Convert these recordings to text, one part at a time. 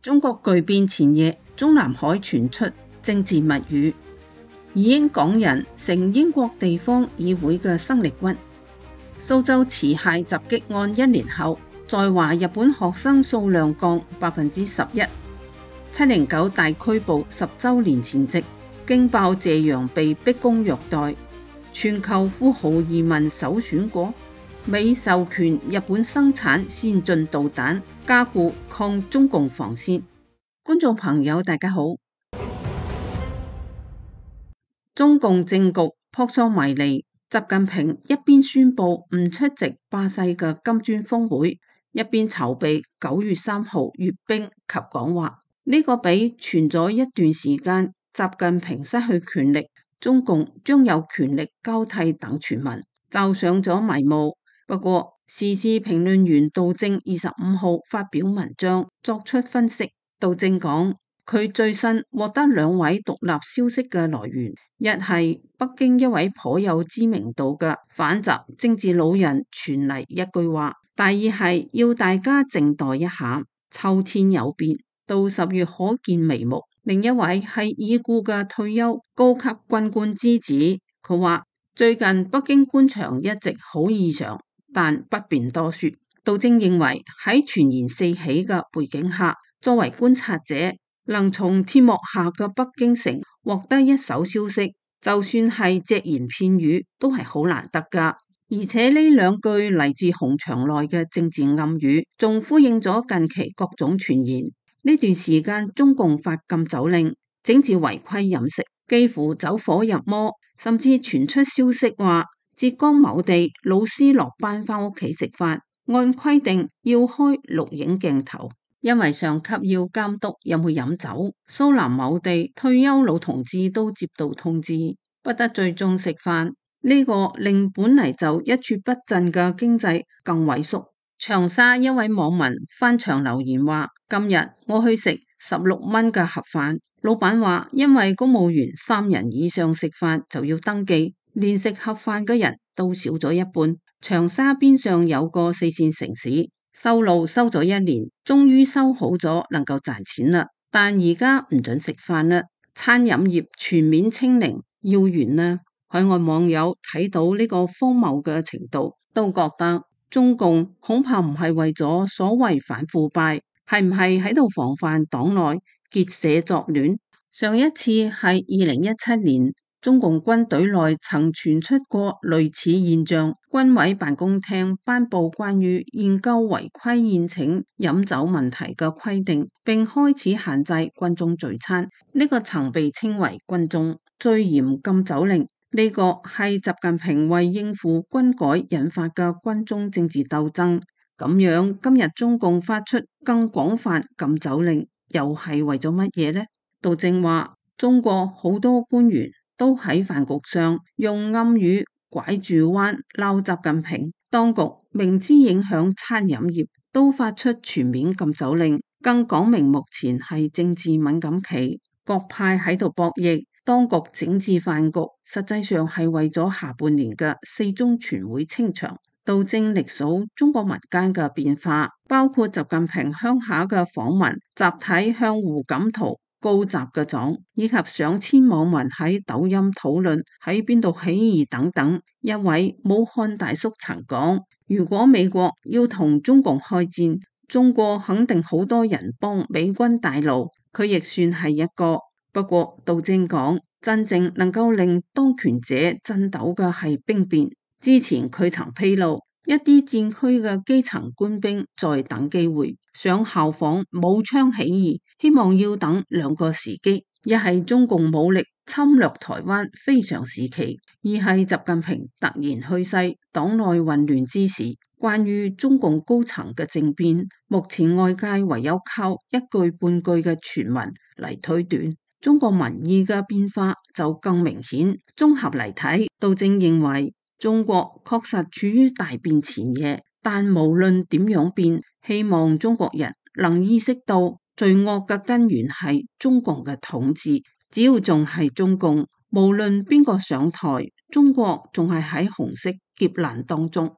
中國巨變前夜，中南海傳出政治密語，移英港人成英國地方議會嘅生力軍。蘇州持械襲擊案1年後，在華日本學生數量降11%。709大拘捕10週年前夕，驚爆謝陽被逼宮虐待，全球富豪移民首選國。美授權日本生產先進導彈，加固抗中共防線。觀眾朋友大家好。中共政局撲朔迷離，習近平一邊宣布唔出席巴西嘅金磚峰會，一邊籌備9月3號閱兵及講話。呢個比傳咗一段時間習近平失去權力，中共將有權力交替等傳聞，罩上咗迷霧。不過，時事評論員杜正25號發表文章作出分析。杜正講，佢最新獲得2位獨立消息嘅來源，一係北京一位頗有知名度嘅反習政治老人傳嚟一句話，第二係要大家靜待一下，秋天有變，到10月可見眉目。另一位係已故嘅退休高級軍官之子，佢話最近北京官場一直好異常，但不便多說。杜正認為喺傳言四起嘅背景下，作為觀察者，能從天幕下嘅北京城獲得一手消息，就算係隻言片語都係好難得噶。而且呢2句嚟自紅牆內嘅政治暗語，仲呼應咗近期各種傳言。呢段時間中共發禁酒令，整治違規飲食，幾乎走火入魔，甚至傳出消息話浙江某地老師落班返屋企食飯，按規定要開錄影鏡頭，因為上級要監督有冇飲酒。蘇南某地退休老同志都接到通知，不得聚眾食飯，呢個令本嚟就一蹶不振嘅經濟更萎縮。長沙一位網民翻牆留言話，今日我去食16蚊嘅盒飯，老闆話因為公務員3人以上食飯就要登記，連食盒飯嘅人都少咗一半。長沙邊上有個4線城市，修路修咗1年，終於修好咗，能夠賺錢啦。但而家唔准食飯啦，餐飲業全面清零，要完啦。海外網友睇到呢個荒謬嘅程度，都覺得中共恐怕唔係為咗所謂反腐敗，係唔係喺度防範黨內結社作亂？上一次係2017年，中共軍隊內曾傳出過類似現象，軍委辦公廳頒布關於研究違規宴請飲酒問題嘅規定，並開始限制軍中聚餐。呢個曾被稱為軍中最嚴禁酒令。呢個係習近平為應付軍改引發嘅軍中政治鬥爭。咁樣今日中共發出更廣泛禁酒令，又係為咗乜嘢呢？杜正話，中國好多官員都喺飯局上用暗語拐住彎鬧習近平，當局明知影響餐飲業，都發出全面禁酒令，更講明目前係政治敏感期，各派喺度博弈。當局整治飯局，實際上係為咗下半年嘅4中全會清場。杜正歷數中國民間嘅變化，包括習近平鄉下嘅訪問、集體向胡錦濤告習嘅狀，以及上千網民喺抖音討論喺邊度起義等等。一位武漢大叔曾講，如果美國要同中共開戰，中國肯定好多人幫美軍帶路，佢亦算係一個。不過杜正講，真正能夠令當權者震抖嘅係兵變。之前佢曾披露，一啲戰區嘅基層官兵在等機會，想效仿武昌起義，希望要等2個時機，一係中共武力侵略台灣非常時期，二係習近平突然去世，黨內混亂之時。關於中共高層嘅政變，目前外界唯有靠一句半句嘅傳聞嚟推斷。中國民意嘅變化就更明顯。綜合嚟睇，杜正認為中國確實處於大變前夜，但無論點樣變，希望中國人能意識到罪惡嘅根源係中共嘅統治。只要仲係中共，無論邊個上台，中國仲係喺紅色劫難當中。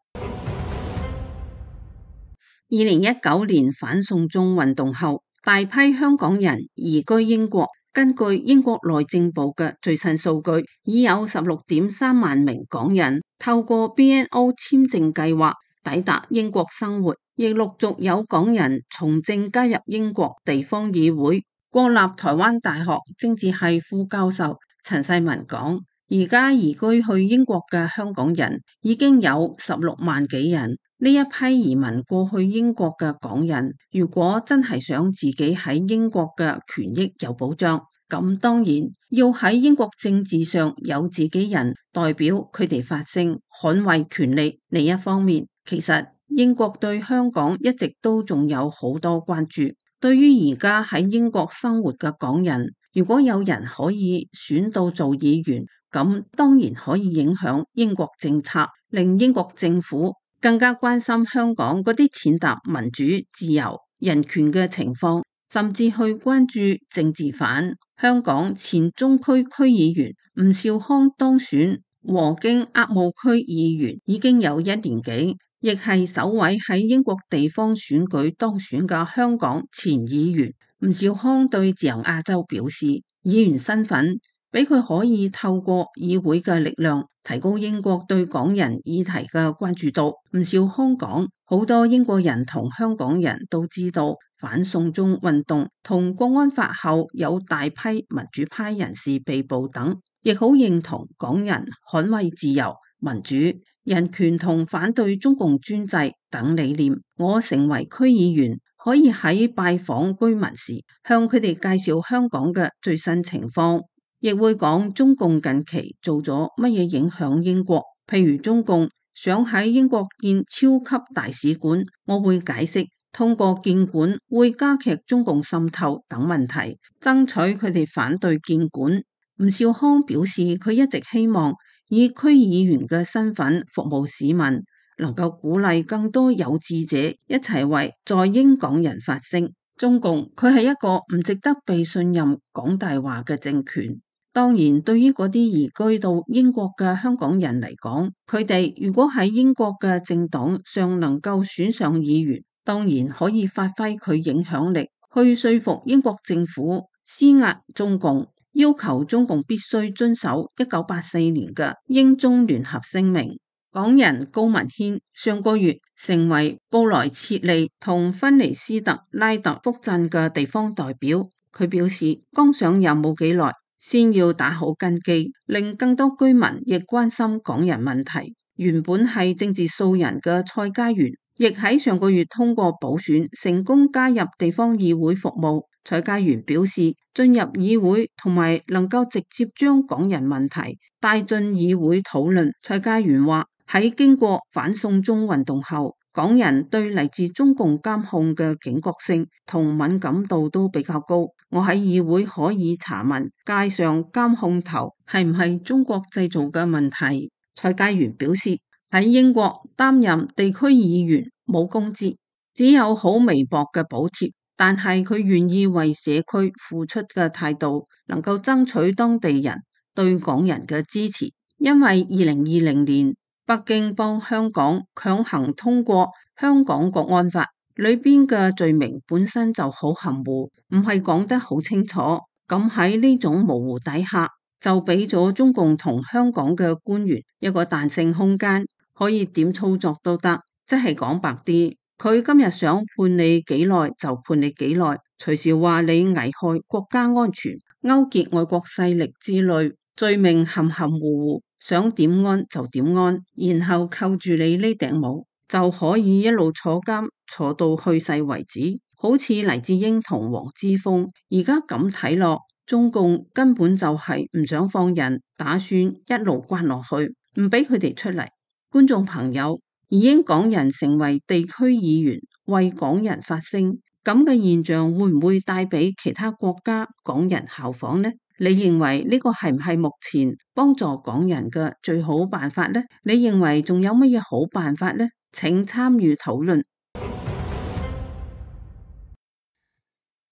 2019年反送中運動後，大批香港人移居英國。根據英國內政部嘅最新數據，已有16.3萬名港人透過 BNO 簽證計劃抵達英國生活，亦陸續有港人從政加入英國地方議會。國立台灣大學政治系副教授陳世文講，而家移居去英國嘅香港人已經有16萬幾人。呢一批移民過去英國嘅港人，如果真係想自己喺英國嘅權益有保障，咁當然要喺英國政治上有自己人代表佢哋發聲，捍衛權利。另一方面，其實英國對香港一直都仲有好多關注。對於而家喺英國生活嘅港人，如果有人可以選到做議員，咁當然可以影響英國政策，令英國政府更加關心香港嗰啲踐踏民主、自由、人權嘅情況，甚至去關注政治犯。香港前中區區議員吳兆康當選和京鴨務區議員已經有1年幾，亦係首位喺英國地方選舉當選嘅香港前議員。吳兆康對自由亞洲表示，議員身份俾佢可以透過議會嘅力量提高英國對港人議題嘅關注度。吳兆康講，好多英國人同香港人都知道反送中運動同國安法後有大批民主派人士被捕等，亦好認同港人捍衛自由、民主、人權同反對中共專制等理念。我成為區議員，可以喺拜訪居民時向佢哋介紹香港嘅最新情況，亦會講中共近期做咗乜嘢影響英國，譬如中共想喺英國建超級大使館，我會解釋通過建館會加劇中共滲透等問題，爭取佢哋反對建館。吳兆康表示，佢一直希望以區議員嘅身份服務市民，能夠鼓勵更多有志者一齊為在英港人發聲。中共佢係一個唔值得被信任講大話嘅政權。當然，對於嗰啲移居到英國嘅香港人嚟講，佢哋如果喺英國嘅政黨上能夠選上議員，當然可以發揮佢影響力，去說服英國政府施壓中共，要求中共必須遵守1984年嘅英中聯合聲明。港人高文軒上個月成為布萊切利同芬尼斯特拉特福鎮嘅地方代表，佢表示剛上任冇幾耐，先要打好根基，令更多居民亦關心港人問題。原本係政治素人嘅蔡家園，亦喺上個月通過補選成功加入地方議會服務。蔡家園表示，進入議會同埋能夠直接將港人問題帶進議會討論。蔡家園話，喺經過反送中運動後，港人對嚟自中共監控嘅警覺性同敏感度都比較高。我喺議會可以查問街上監控頭係唔係中國製造嘅問題。蔡家園表示，喺英國擔任地區議員冇工資，只有好微薄嘅補貼，但係佢願意為社區付出嘅態度，能夠爭取當地人對港人嘅支持。因為2020年北京幫香港強行通過香港國安法，裏邊嘅罪名本身就好含糊，唔係講得好清楚。咁喺呢種模糊底下，就俾咗中共同香港嘅官員一個彈性空間，可以點操作都得。即係講白啲，佢今日想判你幾耐就判你幾耐，隨時話你危害國家安全、勾結外國勢力之類，罪名含含糊糊，想點安就點安，然後扣住你呢頂帽，就可以一路坐監坐到去世為止。好似黎智英同黃之鋒，而家咁睇落，中共根本就係唔想放人，打算一路關落去，唔俾佢哋出嚟。觀眾朋友，移英港人成為地區議員，為港人發聲，咁嘅現象會唔會帶俾其他國家港人效仿呢？你認為呢個係唔係目前幫助港人嘅最好辦法呢？你認為仲有乜嘢好辦法呢？請參與討論。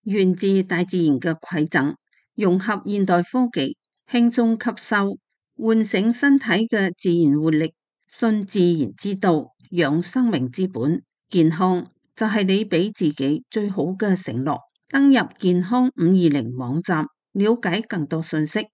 源自大自然嘅饋贈，融合現代科技，輕鬆吸收，喚醒身體嘅自然活力，信自然之道，養生命之本。健康就係你俾自己最好嘅承諾。登入健康520網站，了解更多信息。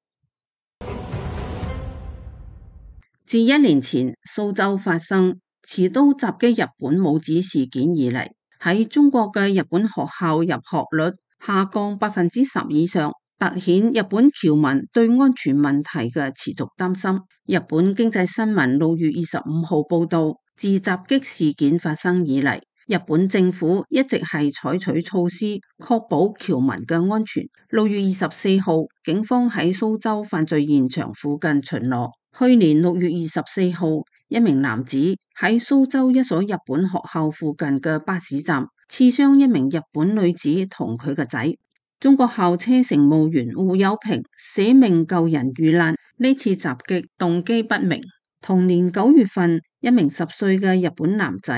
自1年前蘇州發生持刀襲擊日本母子事件以嚟，喺中國嘅日本學校入學率下降10%以上，凸顯日本僑民對安全問題嘅持續擔心。日本經濟新聞6月25號報道，自襲擊事件發生以嚟，日本政府一直係採取措施確保僑民嘅安全。6月24號，警方喺蘇州犯罪現場附近巡邏。去年6月24號，一名男子喺蘇州一所日本學校附近嘅巴士站刺傷一名日本女子同佢個仔。中國校車乘務員胡友平捨命救人遇難，呢次襲擊動機不明。同年9月份，一名10歲嘅日本男仔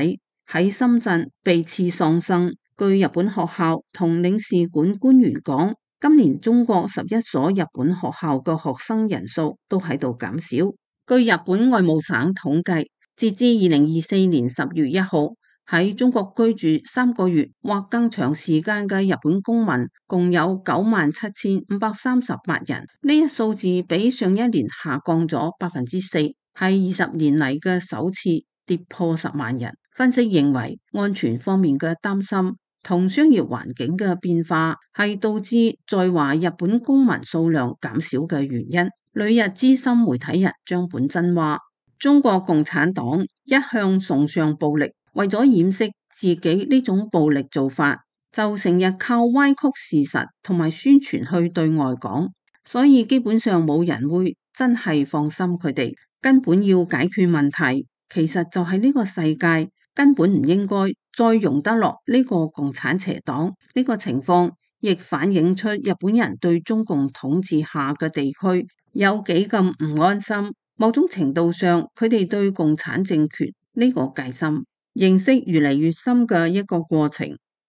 喺深圳被刺喪生。據日本學校同領事館官員講，今年中國11所日本學校嘅學生人數都喺度減少。據日本外務省統計，截至2024年10月1號，喺中國居住3個月或更長時間嘅日本公民共有97,538人，呢一數字比上一年下降咗4%，係20年嚟嘅首次跌破10萬人。分析認為，安全方面嘅擔心同商業環境嘅變化係導致在華日本公民數量減少嘅原因。旅日資深媒體人張本真話：中國共產黨一向崇尚暴力，為咗掩飾自己呢種暴力做法，就成日靠歪曲事實同埋宣傳去對外講，所以基本上冇人會真係放心佢哋。根本要解決問題，其實就係呢個世界根本唔應該再容得落呢個共產邪黨。呢個情況亦反映出日本人對中共統治下嘅地區有幾咁唔安心。某種程度上，佢哋對共產政權呢個戒心認識越嚟越深嘅一個過程。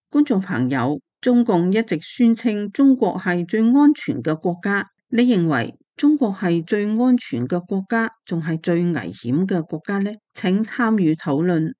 觀眾朋友，中共一直宣稱中國係最安全嘅國家，你認為中國係最安全嘅國家，仲係最危險嘅國家呢？請參與討論。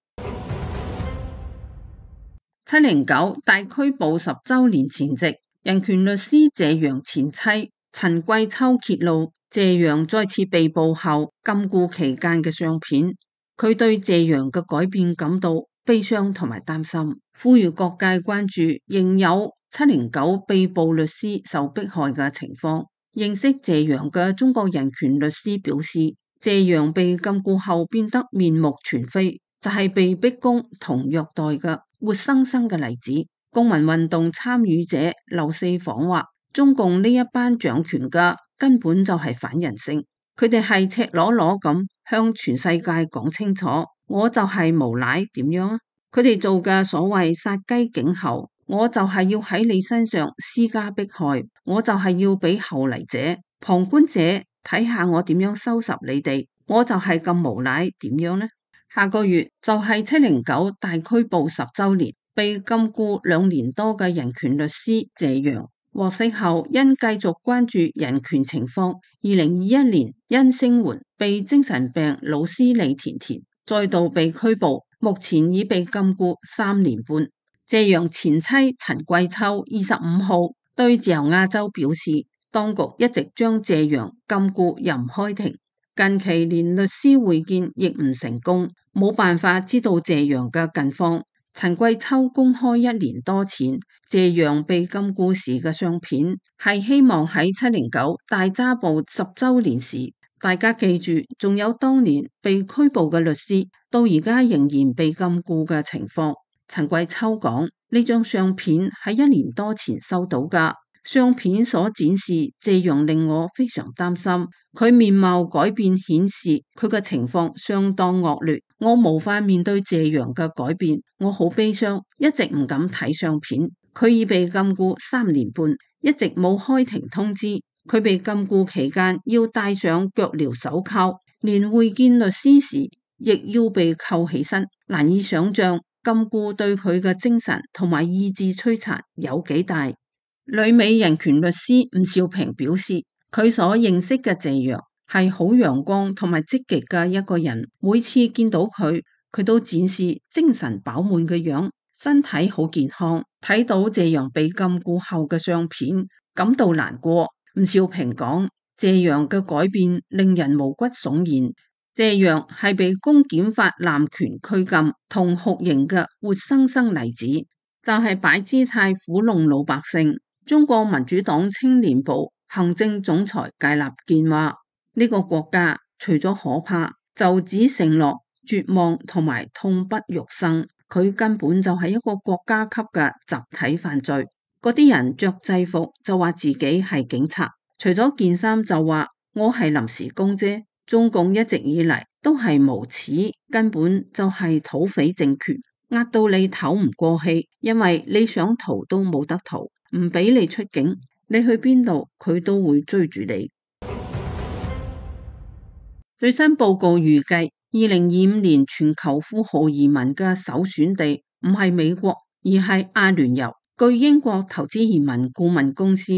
709大拘捕10週年前夕，人權律師謝陽前妻陳桂秋揭露謝陽再次被捕後禁錮期間嘅相片，佢對謝陽嘅改變感到悲傷同埋擔心，呼籲各界關注仍有709被捕律師受迫害嘅情況。認識謝陽嘅中國人權律師表示，謝陽被禁錮後變得面目全非，就係被逼供同虐待嘅活生生嘅例子。公民運動參與者劉四訪話，中共呢一班掌權嘅根本就係反人性，佢哋係赤裸裸咁向全世界講清楚，我就係無賴點樣啊？佢哋做嘅所謂殺雞儆猴，我就係要喺你身上施加迫害，我就係要俾後嚟者、旁觀者睇下我點樣收拾你哋，我就係咁無賴點樣呢？下個月就係709大拘捕10週年，被禁錮2年多嘅人權律師謝陽獲釋後，因繼續關注人權情況，2021年因聲援被精神病老師李甜甜再度被拘捕，目前已被禁錮3年半。謝陽前妻陳桂秋25號對自由亞洲表示，當局一直將謝陽禁錮又唔開庭，近期連律師會見亦唔成功，冇辦法知道謝陽嘅近況。陳桂秋公開1年多前謝陽被禁錮時嘅相片，係希望喺709大抓捕10週年時，大家記住，仲有當年被拘捕嘅律師，到而家仍然被禁錮嘅情況。陳桂秋講，呢張相片喺1年多前收到㗎，相片所展示謝陽令我非常擔心，佢面貌改變顯示佢嘅情況相當惡劣，我無法面對謝陽嘅改變，我好悲傷，一直唔敢睇相片。佢已被禁錮3年半，一直冇開庭通知，佢被禁錮期間要戴上腳鐐手銬，連會見律師時亦要被扣起身，難以想象禁錮對佢嘅精神同埋意志摧殘有幾大。旅美人權律師吳少平表示，佢所認識嘅謝陽係好陽光同埋積極嘅一個人，每次見到佢，佢都展示精神飽滿嘅樣，身體好健康。睇到謝陽被禁錮後嘅相片，感到難過。吳少平講：謝陽嘅改變令人毛骨悚然。謝陽係被公檢法濫權拘禁同酷刑嘅活生生例子，就係擺姿態撫弄老百姓。中國民主黨青年部行政總裁芥立健話：呢個國家除咗可怕，就只剩落絕望同埋痛不欲生。佢根本就係一個國家級嘅集體犯罪。嗰啲人着制服就話自己係警察，除咗件衫就話我係臨時工啫。中共一直以嚟都係無恥，根本就係土匪政權，壓到你唞唔過氣，因為你想逃都冇得逃，唔俾你出境，你去邊度佢都會追住你。最新報告預計，2025年全球富豪移民嘅首選地唔係美國，而係阿聯酋。據英國投資移民顧問公司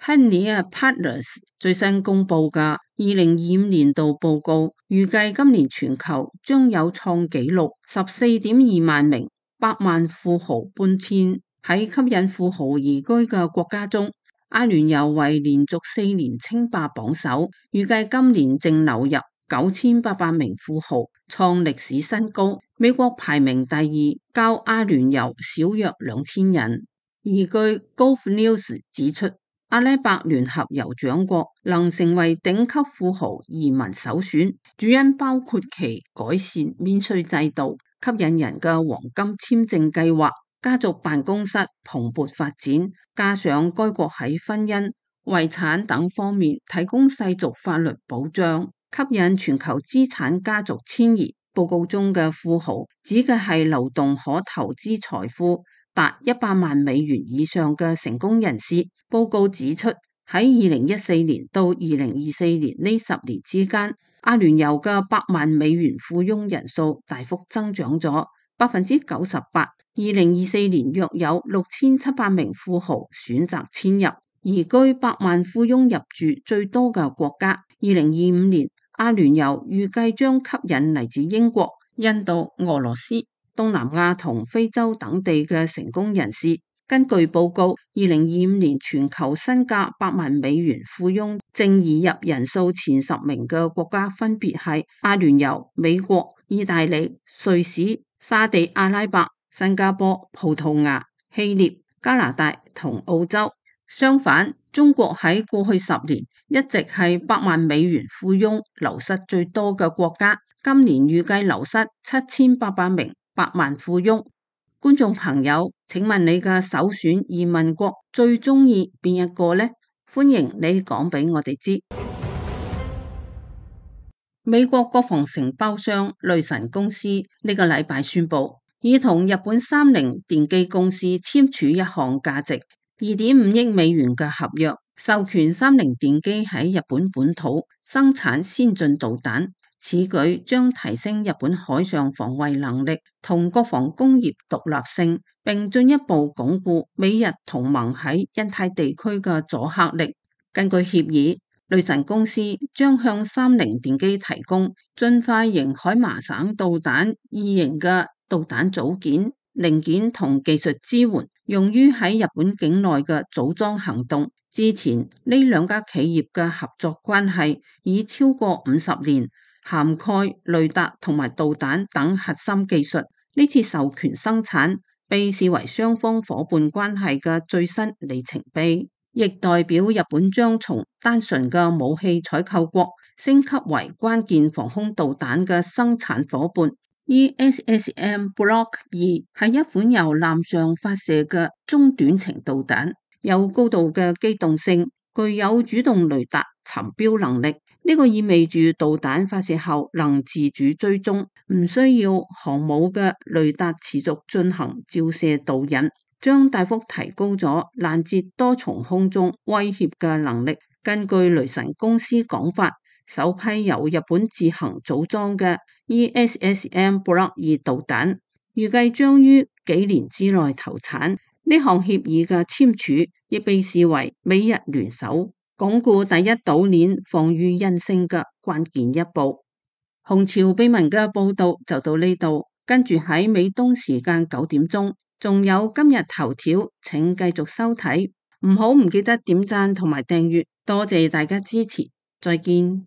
Hanier Partners 最新公布嘅2025年度報告，預計今年全球將有創紀錄14.2萬名百萬富豪搬遷。喺吸引富豪移居嘅國家中，阿聯酋為連續4年稱霸榜首，預計今年淨流入9800名富豪，創歷史新高。美國排名第二，較阿聯酋少約2000人。而據 Gulf News 指出，阿拉伯聯合酋長國能成為頂級富豪移民首選，主因包括其改善免稅制度、吸引人嘅黃金簽證計劃、家族辦公室蓬勃發展，加上該國喺婚姻、遺產等方面提供世俗法律保障，吸引全球資產家族遷移。報告中嘅富豪指嘅係流動可投資財富達100萬美元以上嘅成功人士。報告指出，喺2014年到2024年呢10年之間，阿聯酋嘅100萬美元富翁人數大幅增長咗98%。2024年約有6700名富豪選擇遷入，移居100萬富翁入住最多嘅國家。2025年，阿聯酋預計將吸引嚟自英國、印度、俄羅斯、東南亞同非洲等地嘅成功人士。根據報告，2025年全球身價100萬美元富翁淨移入人數前10名嘅國家分別係阿聯酋、美國、意大利、瑞士、沙地阿拉伯、新加坡、葡萄牙、希臘、加拿大同澳洲。相反，中國喺過去10年一直係100萬美元富翁流失最多嘅國家，今年預計流失7800名100萬富翁。觀眾朋友，請問你嘅首選移民國最中意邊一個呢？歡迎你講俾我哋知。美國國防承包商雷神公司呢個禮拜宣布，已同日本三菱電機公司簽署一項價值2.5億美元嘅合約，授權三菱電機喺日本本土生產先進導彈。此舉將提升日本海上防衛能力同國防工業獨立性，並進一步鞏固美日同盟喺印太地區嘅阻嚇力。根據協議，雷神公司將向三菱電機提供進化型海麻省導彈2型嘅導彈組件、零件同技術支援，用於喺日本境內嘅組裝行動。之前呢兩家企業嘅合作關係已超過50年。涵蓋雷達同埋導彈等核心技術，呢次授權生產被視為雙方伙伴關係嘅最新里程碑，亦代表日本將從單純嘅武器採購國升級為關鍵防空導彈嘅生產伙伴。ESSM Block 2係一款由艦上發射嘅中短程導彈，有高度嘅機動性，具有主動雷達尋標能力。呢個意味住導彈發射後能自主追蹤，唔需要航母嘅雷達持續進行照射導引，將大幅提高咗攔截多重空中威脅嘅能力。根據雷神公司講法，首批由日本自行組裝嘅 ESSM Block 2導彈，預計將於幾年之內投產。呢項協議嘅簽署亦被視為美日聯手鞏固第一島鏈防禦韌性嘅關鍵一步。紅潮秘聞嘅報道就到呢度，跟住喺美東時間9點鐘仲有今日頭條，請繼續收睇，唔記得點讚同埋訂閱，多謝大家支持，再見。